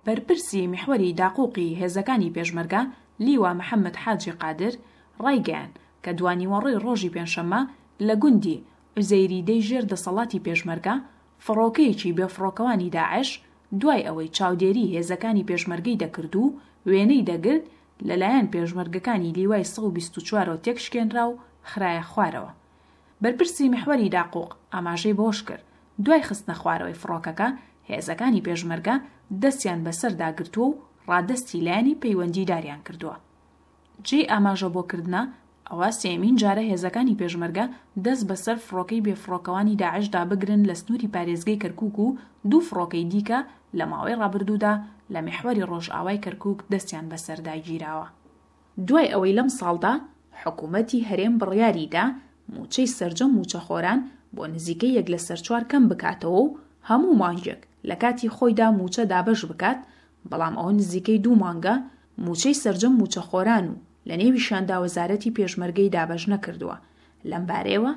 بەرپرسی میحوەری داقوقی هێزەکانی پێشمەرگە، لیوا محەمەد حاجی قادر، ڕایگەیاند کە دوانیوەڕۆی ڕۆژی پێنجشەممە لە گوندی عوزێریدەی ژێر دەسەڵاتی پێشمەرگە، فڕۆکەیەکی بێفڕۆکەوانی داعش دوای ئەوەی چاودێری هێزەکانی پێشمەرگەی دەکرد و وێنەی دەگرت، لەلایەن پێشمەرگەکانی لیوای 124 ەوە تێکشکێنرا و خرایە خوارەوە. بەرپرسی میحوەری داقوق ئاماژەی بەوەشکرد، دوای خستنەخوارەوەی فڕۆکەکە، هێزەکانی پێشمەرگە دەستیان بەسەردا گرتووە و ڕادەستی لایەنی پەیوەندیداریان کردووە. جێی ئاماژە بۆ کردنە، ئەوە سێیەمین جارە هێزەکانی پێشمەرگە دەست بەسەر فڕۆکەی بێفڕۆکەوانی داعشدا بگرن لە سنووری پارێزگەی کەرکووک و دوو فڕۆکەی دیکە لە ماوەی ڕابردوودا لە میحوەری ڕۆژئاوای کەرکووک دەستیان بەسەردا گیراوە. دوای ئەوەی لەمساڵدا حکومەتی هەرێم بڕیاریدا مووچەی سەرجەم مووچەخۆران بۆ نزیکەی یەک لەسەر چوار کەم بکاتەوە و هەموو مانگێک لەکاتی خۆیدا مووچە دابەش بکات، بەڵام ئەوە نزیکەی دوو مانگە مووچەی سەرجەم مووچەخۆران و لەنێویشیاندا وەزارەتی پێشمەرگەی دابەش نەکردووە. لەمبارەیەوە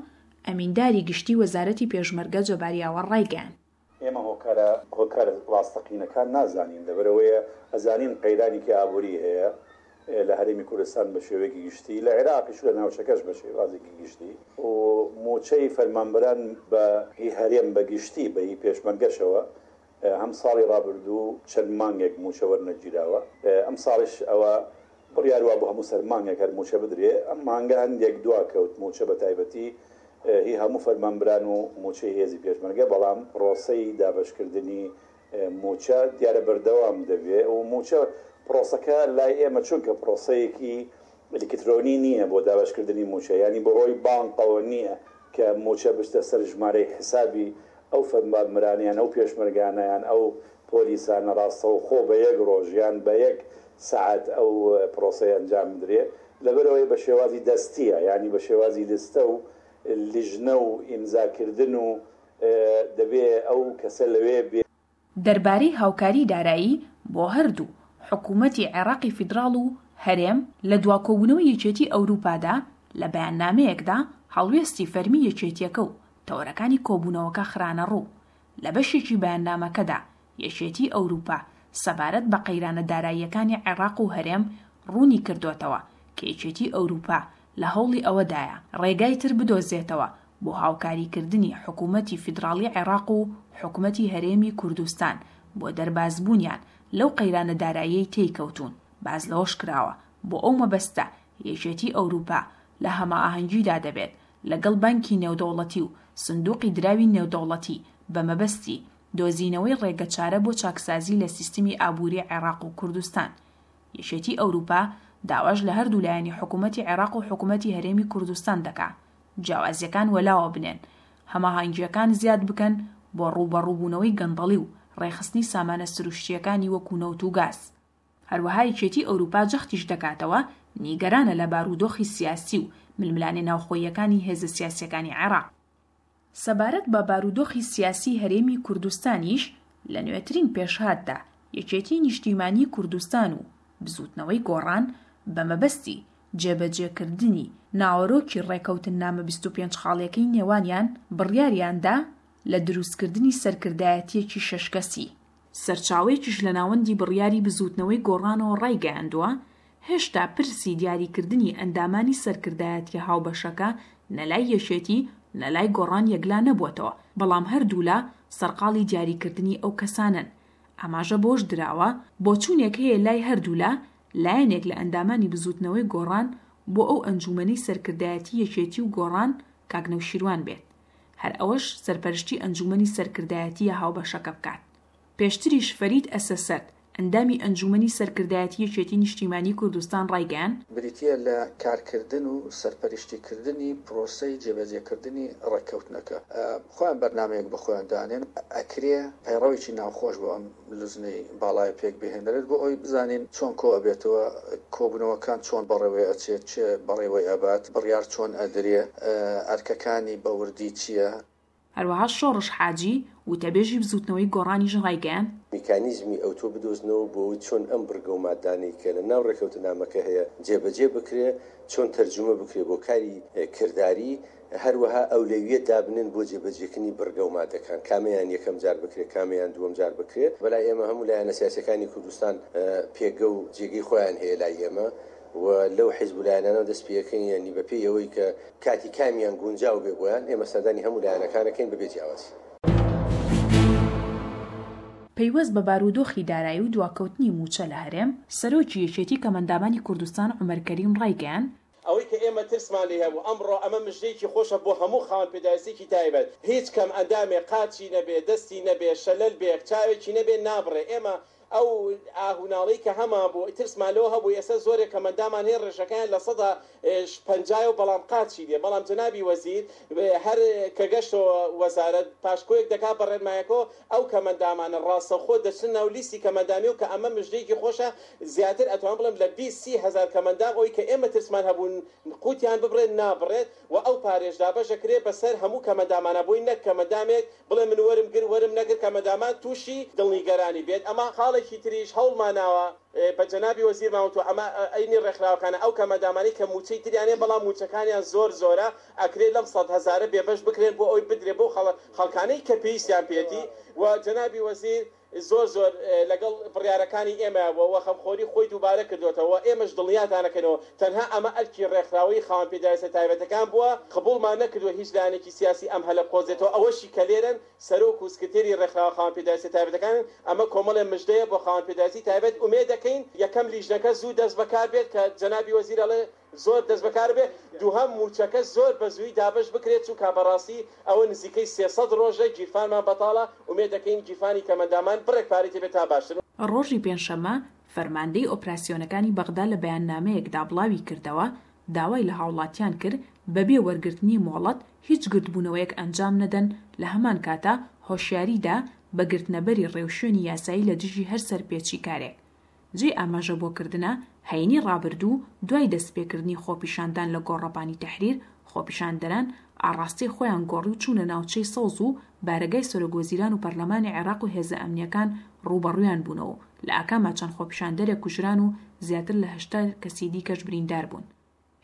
ئەمینداری گشتی وەزارەتی پێشمەرگە جەبار یاوەر ڕایگەیاند. ئێمە هۆکارە هۆکارە ڕاستەقینەکان نازانین، لەبەرئەوەیە ئەزانین قەیرانێکی ئابووری هەیە لە هەرێمی کوردستان بە شێوەیەکی گشتی، لە عێراقیش و لە ناوچەکەش بە شێوازێکی گشتی و مووچەی فەرمانبەران بە هی هەرێم بە گشتی بە هی پێشمەرگەشەوە هەم ساڵی ڕابردوو چەند مانگێک مووچە وەرنەگیراوە، ئەمساڵیش ئەوە بڕیار وابوو هەموو سەر مانگێک هەر مووچە بدرێ، ئەم مانگە هەندێک دواکەوت مووچە بە تایبەتی هی هەموو فەرمانبران و مووچەی هێزی پێشمەرگە، بەڵام پڕۆسەی دابەشکردنی مووچە دیارە بەردەوام دەبێ و مووچە پڕۆسەکە لای ئێمە چونکە پڕۆسەیەکی ئەلیکترۆنی نییە بۆ دابەشکردنی مووچە، یانی بەهۆی بانقەوە نییە کە مووچە بچتە سەر ژمارەی حسابی ئەو فەرمانبەرانە یان ئەو پێشمەرگانە یان ئەو پۆلیسانە ڕاستەوخۆ بە یەک ڕۆژ یان بە یەک سەعات ئەو پرۆسەیە ئەنجام بدرێ لەبەرئەوەی بە شێوازی دەستیە یانی بە شێوازی لستە و لیژنە و ئیمزا کردن و دەبێ ئەو کەسە لەوێ بێ. دەربارەی هاوکاری دارایی بۆ هەردوو حکوومەتی عێراقی فیدراڵ و هەرێم لە دوا کۆبوونەوەی یەکێتی ئەوروپادا لە بەیاننامەیەکدا هەڵوێستی فەرمی یەکێتیەکە و تەوەرەکانی کۆبوونەوەکە خرانەڕوو. لە بەشێکی بەیاننامەکەدا یەکێتی ئەوروپا سەبارەت بە قەیرانە داراییەکانی عێراق و هەرێم ڕوونی کردۆتەوە کە یەکێتی ئەوروپا لە هەوڵی ئەوەدایە ڕێگای تر بدۆزێتەوە بۆ هاوکاریکردنی حکومەتی فیدراڵی عێراق و حکومەتی هەرێمی کوردستان بۆ دەربازبوونیان لەو قەیرانە داراییەی تێی کەوتوون. باس لەوەش کراوە، بۆ ئەو مەبەستە یەکێتی ئەوروپا لە هەماهەنگیدا دەبێت لەگەڵ بانکی نێودەوڵەتی و سندوقی دراوی نێودەوڵەتی بە مەبەستی دۆزینەوەی ڕێگەچارە بۆ چاکسازی لە سیستمی ئابووری عێراق و کوردستان. یەکێتی ئەوروپا داواش لە هەردوو لایەنی حکومەتی عێراق و حکومەتی هەرێمی کوردستان دەکا جیاوازییەکان وەلاوە بنێن، هەماهەنگییەکان زیاد بکەن بۆ ڕووبەڕووبوونەوەی گەندەڵی و ڕێکخستنی سامانە سروشتییەکانی وەکو نەوت و گاز. هەروەها یەکێتی ئەوروپا جەختیش دەکاتەوە نیگەرانە لە بارودۆخی سیاسی و ململانێ ناوخۆییەکانی هێزە سیاسییەکانی عێراق. سەبارەت بە بارودۆخی سیاسی هەرێمی کوردستانیش، لە نوێترین پێشهاتدا یەکێتی نیشتیمانی کوردستان و بزووتنەوەی گۆڕان بە مەبەستی جێبەجێکردنی ناوەرۆکی ڕێکەوتننامە 25 خاڵیەکەی نێوانیان بڕیاریاندا لە دروستکردنی سەرکردایەتیەکی شەش کەسی. سەرچاوەیەکیش لە ناوەندی بڕیاری بزووتنەوەی گۆڕانەوە ڕایگەیاندووە، هێشتا پرسی دیاریکردنی ئەندامانی سەرکردایەتیە هاوبەشەکە نە لای یەکێتی نە لای گۆڕان یەکلا نەبووەتەوە، بەڵام هەردوولا سەرقاڵی دیاریکردنی ئەو کەسانەن. ئاماژە بەوەش دراوە، بۆچوونێک هەیە لای هەردوولا، لایەنێک لە ئەندامانی بزووتنەوەی گۆڕان بۆ ئەو ئەنجوومەنەی سەرکردایەتی یەکێتی و گۆڕان کاک نەوشیروان بێت، هەر ئەوەش سەرپەرشتی ئەنجوومەنی سەرکردایەتییە هاوبەشەکە بکات. پێشتریش فەرید ئەسەسەرد، ئەندامی ئەنجوومەنی سەرکردایەتی یەکێتی نیشتیمانیی کوردستان ڕایگەیاند، بریتییە لە کارکردن و سەرپەرشتیکردنی پرۆسەی جێبەجێکردنی ڕێککەوتنەکە. خۆیان بەرنامەیەک بۆ خۆیان دانێن، ئەکرێ پەیڕەوێکی ناوخۆش بۆ ئەم لجنەی باڵایە پێک بهێنرێت بۆ ئەوەی بزانین چۆن کۆ ئەبێتەوە، کۆبوونەوەکان چۆن بەڕێوەی ئەچێت، کێ بەڕێوەی ئەبات، بڕیار چۆن ئەدرێ، ئەرکەکانی بە وردی چییە. هەروەها شۆڕش حاجی، وتەبێژی بزووتنەوەی گۆڕانیش ڕایگەیاند. میکانیزمی ئەوتۆ بدۆزنەوە بۆ ئەوەی چۆن ئەم بڕگە و مادانەی کە لە ناو ڕێکەوتنامەکە هەیە جێبەجێ بکرێ، چۆن تەرجومە بکرێ بۆ کاری کرداری، هەروەها ئەولەویەت دابنێن بۆ جێبەجێکردنی بڕگە و مادەکان، کامەیان یەکەم جار بکرێ، کامەیان دووەم جار بکرێ. بەلای ئێمە هەموو لایەنە سیاسیەکانی کوردستان پێگە و جێگەی خۆیان هەیە لای ئێمە و لەو حیزب و لایەنانەوە دەست پێکەین، یانی بەپێی ئەوەی کە کاتی کامیان گونجاو بێ بۆیان، ئێمە سەردانی هەموو لایەنەکان ئەکەین بەبێ جیاوازی. پەیوەست بە بارودۆخی دارایی و دواکەوتنی مووچە لە هەرێم، سەرۆکی یەکێتی کەمئەندامانی کوردستان عومەر کەریم ڕایگەیاند، ئەوەی کە ئێمە ترسمان لێی هەبوو ئەمڕۆ ئەمە مژدەیەکی خۆشە بۆ هەموو خاوەن پێداویستیەکی تایبەت هیچ کەم ئەندامێ قاچی نەبێ دەستی نەبێ شەلەل بێ چاوێکی نەبێ نابڕێ ئێمە ئەو ئاه و ناڵەی کە هەمان بوو ترسمان لەوە هەبوو ئێستا زۆرێک کەمئەندامان هەیە ڕێژەکەیان پەنجایە و بەڵام قاچی لێ بەڵام جەنابی وەزیر هەر کە گەشتەوە وەزارەت پاشکۆیەک دەکات بە ڕێنمایەکەوە ئەو کەمئەندامانە ڕاستەوخۆ دەچنە ناو لیستی کەمئەندامی و کە ئەمە مژدەیەکی خۆشە زیاتر ئەتوانم بڵێم لە 20 30 هەزار کەمئەندام ئەوەی کە ئێمە ترسمان هەبوو قوتیان ببڕێت نابڕێت و ئەو پارەیەش دابەش ئەکرێت بەسەر هەموو کەمئەندامانا بۆی نەک کەمئەندامێک بڵێ من وەرم گر وەرم نەگر کەمئەندامان تووشی دڵنیگەرانی بێت ئەمە خاڵێکی تریش هەوڵماناوە بە جەنابی وەزیرمان وتوە ئەمە ئەینی ڕێکخراوەکانە ئەو کەمئەندامانەی کە موچەی تریان هەیە بەڵام موچەکانیان زۆر زۆرە ئەکرێ لەم سەدهەزارە بێبەش بکرێن بۆ ئەوەی بدرێ بەو خەڵکانەی کە پێویستیان پێیەتی و جەنابی وەزیر زۆر زۆر لەگەڵ بڕیارەکانی ئێمە بووە و خەمخۆری خۆی دووبارە کردۆتەوە و ئێمەش دڵنیاتان ئەکەینەوە تەنها ئەمە ئەرکی ڕێکخراوەی خاوەن پێداویستە تایبەتەکان بووە قبوڵمان نەکردوە هیچ لایەنێکی سیاسی ئەم هەلە بقۆزێتەوە ئەوەشی کە لێرەن سەرۆک و سکرتێری ڕێکخراوە خاوەن پێداویستیە تایبەتەکانن، ئەمە کۆمەڵێ مژدەیە بۆ خاوەن پێداویستی تایبەت، ئومێد دەکەین یەکەم لیژنەکە زوو دەست بەکار بێت کە جەنابی وەزیر ئەڵێ زۆر دەست بەکار بێت، دووهەم مووچەکە زۆر بە زوویی دابەش بکرێت چونکا بەڕاستی ئەوە نزیکەی 300 ڕۆژە گیرفانمان بەتاڵە، ئومێد دەکەین گیرفانی کەمئەندامان بڕێک پارەی تێبێت تا باشتر. ڕۆژی پێنجشەممە، فەرماندەی ئۆپراسیۆنەکانی بەغدا لە بەیاننامەیەکدا بڵاویکردەوە، داوای لە هاوڵاتیان کرد بەبێ وەرگرتنی مۆڵەت هیچ گردبوونەوەیەک ئەنجام نەدەن، لە هەمان کاتا هۆشیاری دا بە گرتنەبەری ڕێوشوێنی یاسایی لە دژی هەر سەرپێچیکارێک. جێی ئاماژە بۆ کردنە، هەینی ڕابردوو دوای دەستپێکردنی خۆپیشاندان لە گۆڕەپانی تەحریر، خۆپیشاندەران ئاڕاستەی خۆیان گۆڕی و چوونە ناوچەی سەوز و بارەگای سەرۆکوەزیران و پەرلەمانی عێراق و هێزە ئەمنییەکان ڕووبەڕوویان بوونەوە و لە ئاکاما چەند خۆپیشاندەرێک کوژران و زیاتر لە 80 کەسی دیکەش بریندار بوون.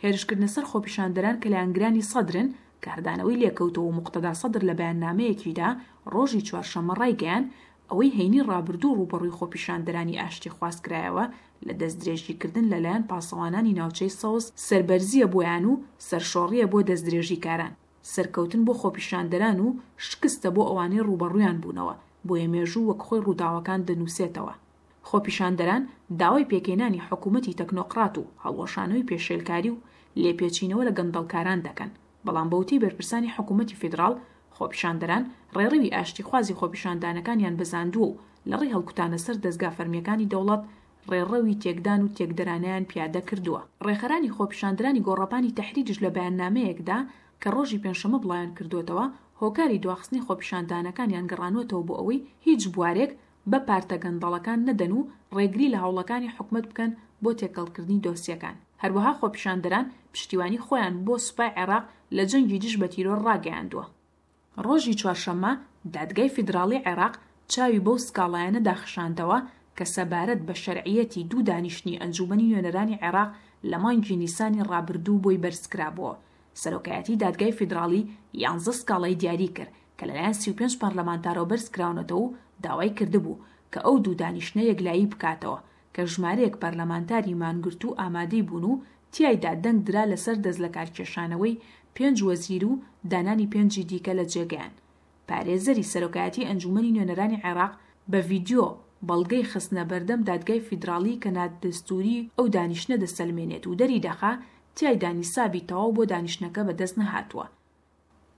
هێرشکردنە سەر خۆپیشاندەران کە لایەنگرانی سەدرن، کاردانەوەی لێکەوتەوە و موقتەدا سەدر لە بەیاننامەیەکیدا ڕۆژی چوارشەممە ڕایگەیاند، ئەوەی هەینی ڕابردوو ڕووبەڕووی خۆپیشاندەرانی ئاشتیخواز کرایەوە لە دەستدرێژیکردن لەلایەن پاسەوانانی ناوچەی سەوز سەربەرزییە بۆیان و سەرشۆڕییە بۆ دەستدرێژیکاران، سەرکەوتن بۆ خۆپیشاندەران و شکستە بۆ ئەوانەی ڕووبەڕوویان بوونەوە، بۆیە مێژوو وەک خۆی ڕووداوەکان دەنووسێتەوە. خۆپیشاندەران داوای پێکهێنانی حکوومەتی تەکنۆقرات و هەڵوەشانەوەی پێشێلکاری و لێپێچینەوە لە گەندەڵکاران دەکەن، بەڵام بەوتەی بەرپرسانی حکوومەتی فیدراڵ، خۆپیشاندەران ڕێڕەوی ئاشتیخوازی خۆپیشاندانەکانیان بەزاندووە و لەڕێی هەڵکوتانە سەر دەزگا فەرمییەکانی دەوڵەت ڕێڕەوی تێکدان و تێکدەرانەیان پیادە کردووە. ڕێکخەرانی خۆپیشاندرانی گۆڕەپانی تەحریریش لە بەیاننامەیەکدا کە ڕۆژی پێنجشەممە بڵاویان کردووەتەوە، هۆکاری دواخستنی خۆپیشاندانەکانیان گەڕانووەتەوە بۆ ئەوەی هیچ بوارێک بە پارتە گەندەڵەکان نەدەن و ڕێگری لە هەوڵەکانی حکومەت بکەن بۆ تێکەڵکردنی دۆسیەکان. هەروەها خۆپیشاندەران پشتیوانی خۆیان بۆ سوپای عێراق لە جەنگی دژ بە تیرۆر ڕاگەیاندووە. ڕۆژی چوارشەممە دادگای فیدراڵی عێراق چاوی بەو سکاڵایانەدا خشاندەوە کە سەبارەت بە شەرعیەتی دوو دانیشتنی ئەنجوومەنی نوێنەرانی عێراق لە مانگی نیسانی ڕابردوو بۆی بەرزکرابووەوە. سەرۆکایەتی دادگای فیدراڵی یانزە سکاڵای دیاری کرد کە لەلایەن 35 پەرلەمانتارەوە بەرزکراونەتەوە و داوای کردبوو کە ئەو دوو دانیشتنە یەکلایی بکاتەوە کە ژمارەیەک پەرلەمانتاری مانگرتوو ئامادەی بوون و تیایدا دەنگ درا لەسەر دەستلەکارکێشانەوەی پێنج وەزیر و دانانی پێنجی دیکە لە جێگەیان. پارێزەری سەرۆکایەتی ئەنجوومەنی نوێنەرانی عێراق بە ڤیدیۆ بەڵگەی خستنە بەردەم دادگای فیدراڵی کە نادەستووری ئەو دانیشتنە دەسەلمێنێت و دەریدەخا تیایدا نیسابی تەواو بۆ دانیشتنەکە بەدەست نەهاتووە.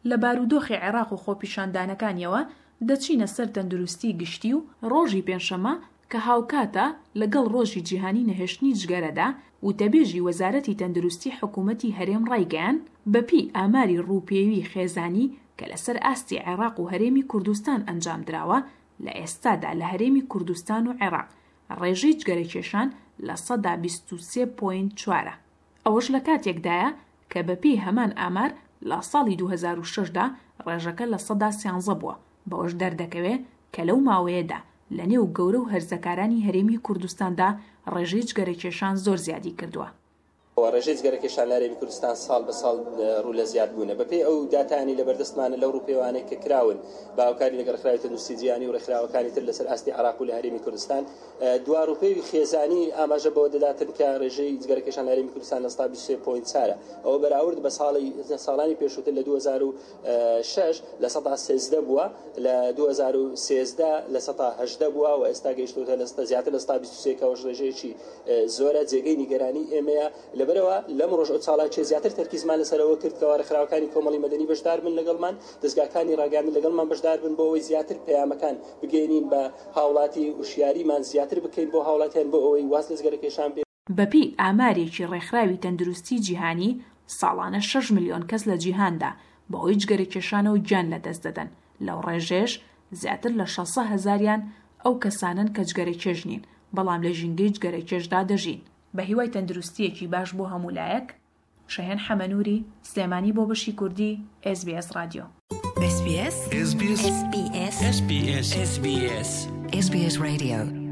لە بارودۆخی عێراق و خۆپیشاندانەکانیەوە دەچینە سەر تەندروستی گشتی و، ڕۆژی پێنجشەممە کە هاوکاتە لەگەڵ ڕۆژی جیهانی نەهێشتنی جگەرەدا، وتەبێژی وەزارەتی تەندروستی حکومەتی هەرێم ڕایگەیاند، بەپێی ئاماری ڕووپێوی خێزانی کە لەسەر ئاستی عێراق و هەرێمی کوردستان ئەنجامدراوە، لە ئێستادا لە هەرێمی کوردستان و عێراق ڕێژەی جگەرەکێشان 23% پۆینت چوارە. ئەوەش لە کاتێکدایە کە بەپێی هەمان ئامار لە ساڵی 2006 دا ڕێژەکە 13% بووە، بەوەش دەردەکەوێ کە لەو ماوەیەدا. لە نێو گەورە و هەرزەکارانی هەرێمی کوردستاندا ڕێژەی جگەرەکێشان زۆر زیادی کردووە. ڕێژەی جگەرەکێشان لە هەرێمی کوردستان ساڵ بە ساڵ ڕوو لە زیادبوونە. بەپێی ئەو داتایانەی لەبەردەستمانە لەو ڕووپێوانەی کە کراون بە هاوکاری لەگەڵ ڕێکخراوی تەندروستی جیهانی و ڕێکخراوەکانی تر لەسەر ئاستی عێراق و لە هەرێمی کوردستان دوا ڕووپێوی خێزانی ئاماژە بەوە دەداتن کە ڕێژەی جگەرەکێشان لە هەرێمی کوردستان لە 23 پۆینت چارە ئەوە بەراورد بە ساڵی ساڵانی پێشووتر لە 2006 لە سەدا 13 بووە لە 2013 لە سەدا 18 بووە و ئێستا گەیشتووتە لە زیاتر لە سەدا 23 کە ئەوەش ڕێژەیەکی زۆرە جێگەی نیگەرانی ئێمەیە، لەبەرئەوە لەم ڕۆژ ئەو چالاکیە زیاتر تەرکیزمان لەسەرەوە کرد کەوا ڕێکخراوەکانی کۆمەڵی مەدەنی بەشدار بن لەگەڵمان، دەزگاکانی ڕاگەیاندن لەگەڵمان بەشدار بن بۆ ئەوەی زیاتر پەیامەکان بگەیەنین بە هاوڵاتی، وشیاریمان زیاتر بکەین بۆ هاوڵاتیان بۆ ئەوەی واز لە جگەرەکێشان بێنن. بەپێی ئامارێکی ڕێکخراوی تەندروستی جیهانی، ساڵانە شەش ملیۆن کەس لە جیهاندا بەهۆی جگەرەکێشانەوە گیان لەدەست دەدەن، لەو ڕێژەیەش زیاتر لە شەسە هەزاریان ئەو کەسانەن کە جگەرەکێش نین، بەڵام لە ژینگەی جگەرەکێشدا دەژین. بە هیوای تەندروستییەکی باش بۆ هەموو لایەک، شەهێن حەمەنووری، سلێمانی بۆ بەشی کوردی ئێس بی ئێس ڕادیۆ. SBS SBS SBS SBS SBS SBS Radio.